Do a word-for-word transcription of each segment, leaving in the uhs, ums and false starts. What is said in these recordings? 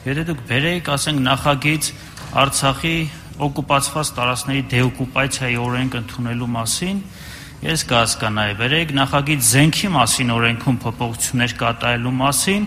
Եթե դուք բերեիք, ասենք, նախագիծ Արցախի օկուպացված տարածքների դեօկուպացիայի օրենք ընդունելու մասին, ես կհասկանայի, բերեիք նախագիծ զենքի մասին օրենքում փոփոխություններ կատարելու մասին,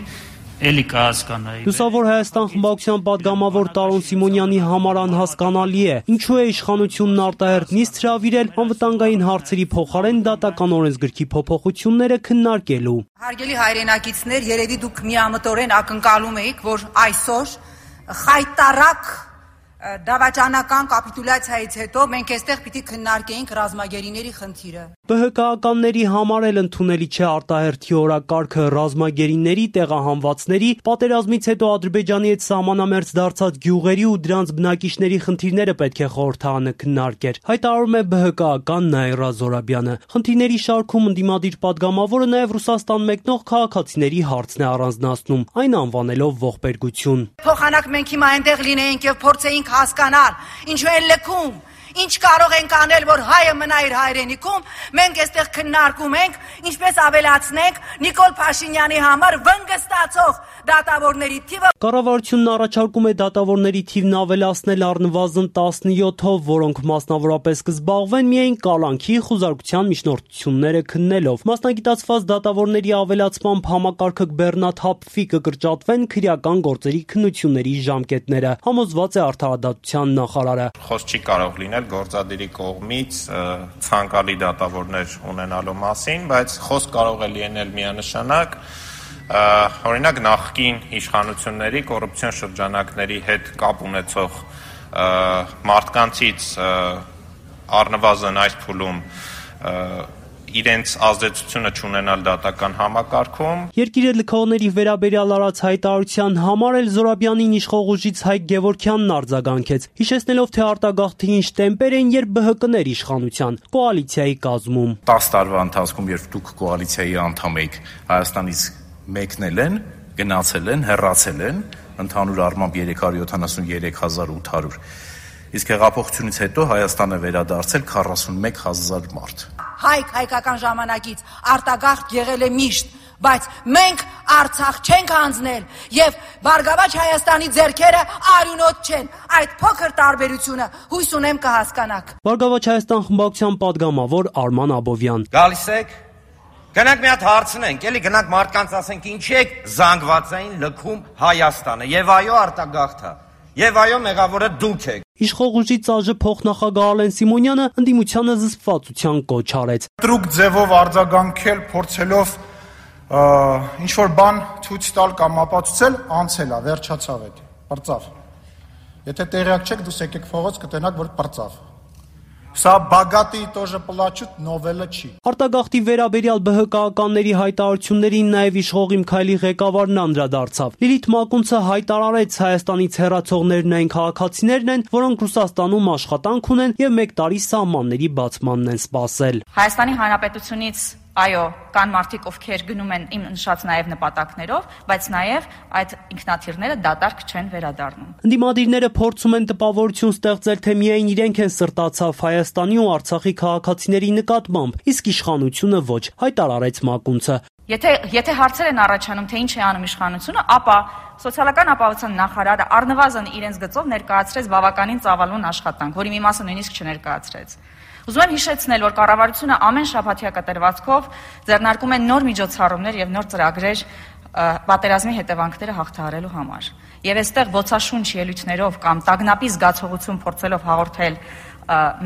էլի կհասկանայի։ Լուսավոր Հայաստան խմբակցության պատգամավոր Տարոն Սիմոնյանի համար անհասկանալի է, ինչու է իշխանությունն արտահերթ նիստ հրավիրել անվտանգային հարցերի փոխարեն դատական օրենսգրքի փոփոխությունները քննարկելու։ Հարգելի հայրենակիցներ, երևի դուք միամտորեն ակնկալում եք, որ այսօր խայտարակ դավաճանական կապիտուլյացիայից հետո մենք այստեղ պիտի քննարկեինք ռազմագերիների խնդիրը։ ԲՀԿ-ականների համար էլ ընդունելի չէ արտահերթի օրակարգը ռազմագերիների, տեղահանվածների, պատերազմից հետո Ադրբեջանի հետ սահմանամերձ դարձած գյուղերի ու դրանց բնակիչների խնդիրները պետք է խորհրդարանը քննարկեր, հայտարարում է ԲՀԿ-ական Նաիրա Զոհրաբյանը։ Խնդիրների շարքում ընդդիմադիր պատգամավորը նաև Ռուսաստան մեկնող քաղաքացիների հարցն է առանձնացնում, այն անվանելով ողբերգություն։ Փոխանակ մենք հիմա այնտեղ լինեինք եւ փորձեինք հասկանալ, ինչու են լքում, ինչ կարող ենք անել, որ հայը մնա իր հայրենիքում, մենք այստեղ քննարկում ենք, ինչպես ավելացնենք Նիկոլ Փաշինյանի համար վնգստացող դատավորների թիվը։ Կառավարությունն առաջարկում է դատավորների թիվն ավելացնել առնվազն տասնյոթով, որոնք մասնավորապես կզբաղվեն միայն կալանքի խուզարկության միջնորդությունները քննելով։ Մասնագիտացված դատավորների ավելացմամբ համակարգը կբեռնաթափվի, կկրճատվեն քրեական գործերի քննությունների ժամկետները, համոզված է արդարադատության նախարարը։ Խոսք չի կարող լինել գործադիրի կողմից ցանկալի դատավորներ ունենալու մասին, բայց խոսք կարող է լինել միանշանակ օրինակ նախկին իշխանությունների կոռուպցիոն շրջանակների հետ կապ ունեցող մարդկանցից առնվազն այս փուլում իրենց ազդեցությունը չունենալ դատական համակարգում։ Երկիրը լքողների վերաբերյալ արած հայտարարության համար էլ Զոհրաբյանին իշխող ուժից Հայկ Գևորգյանն արձագանքեց, հիշեցնելով, թե արտագաղթի ինչ տեմպեր են, երբ ԲՀԿ-ներ իշխանության, կոալիցիայի կազմում։ տասը տարվա ընթացքում, երբ դուք կոալիցիայի անդամ եք, Հայաստանից մեկնել են, գնացել են, հեռացել են, ընդհանուր առմամբ երեք հարյուր յոթանասունյոթ հազար ութ հարյուր, իսկ հեղափոխությունից հետո Հայաստանը վերադարձել քառասունմեկ հազար մարդ։ Հայք հայկական ժամանակից արտագաղթ եղել է միշտ, բայց մենք Արցախ չենք հանձնել եւ Բարգավաճ Հայաստանի ձեռքերը արյունոտ չեն։ Այդ փոքր տարբերությունը հույս ունեմ կհասկանաք։ Բարգավաճ Հայաստան խմբակցության պատգամավոր Արման Աբովյան։ Գալիս եք, գնանք մի հատ հարցնենք, էլի գնանք մարդկանց ասենք ինչի եք զանգվածային լքում Հայաստանը, եւ այո արտագաղթա, եւ այո մեղավորը դուք եք։ Իշխող ուժի ծաժը փոխնախագահ Ալեն Սիմոնյանը ընդդիմությանը զսպվածության կոչ արեց։ Տրուկ ձևով արձագանքել, փորձելով ինչ-որ բան ցույց տալ կամ ապացուցել, անցել է, վերջացավ էդ, պրծավ։ Եթե տեղյակ չեք, դուք եկեք փողոց կտենաք, որ պրծավ։ Սա բագատի тоже պլաչուտ նովելը չի։ Արտագաղթի վերաբերյալ ԲՀԿ-ականների հայտարարություններին նաև իշխող Իմ Քայլի ղեկավարն անդրադարձավ։ Լիլիթ Մակունցը հայտարարեց, Հայաստանից հեռացողներն այն քաղաքացիներն են, որոնք Ռուսաստանում աշխատանք ունեն եւ մեկ տարի սահմանների բացմանն են սպասել։ Հայաստանի Հանրապետությունից այո, կան մարդիկ, ովքեր գնում են իմ նշած նաև նպատակներով, բայց նաև այդ ինքնաթիռները դատարկ չեն վերադառնում։ Ընդդիմադիրները փորձում են տպավորություն ստեղծել, թե միայն իրենք են սրտացավ Հայաստանի ու Արցախի քաղաքացիների նկատմամբ, իսկ իշխանությունը ոչ, հայտարարեց Մակունցը։ Եթե եթե հարցեր են առաջանում, թե ինչ է անում իշխանությունը, ապա սոցիալական ապահովության նախարարը առնվազն իրենց գծով ներկայացրեց բավականին ծավալուն աշխատանք, որի մի մասը նույնիսկ չներկայացրեց։ Ուզում եմ հիշեցնել, որ կառավարությունը ամեն շաբաթյա կտրվածքով ձեռնարկում է նոր միջոցառումներ եւ նոր ծրագրեր պատերազմի հետևանքները հաղթահարելու համար։ Եվ այստեղ ոցաշունչ ելույթներով կամ տագնապի զգացողություն փորձելով հաղորդել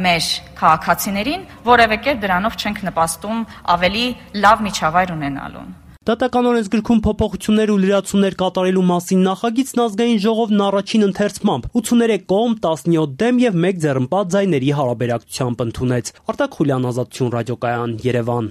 մեր քաղաքացիներին, որևէ կերպ դրանով չենք նպաստում ավելի լավ միջավայր ունենալուն։ Դատական օրենսգրքում փոփոխություններ ու լրացումներ կատարելու մասին նախագիծն ազգային ժողովն առաջին ընթերցմամբ ութսուներեք կողմ, տասնյոթ դեմ եւ մեկ ձեռնպատ ձայների հարաբերակցությամբ ընդունեց։ Արտակ Խուլյան, Ազատություն ռադիոկայան, Երևան։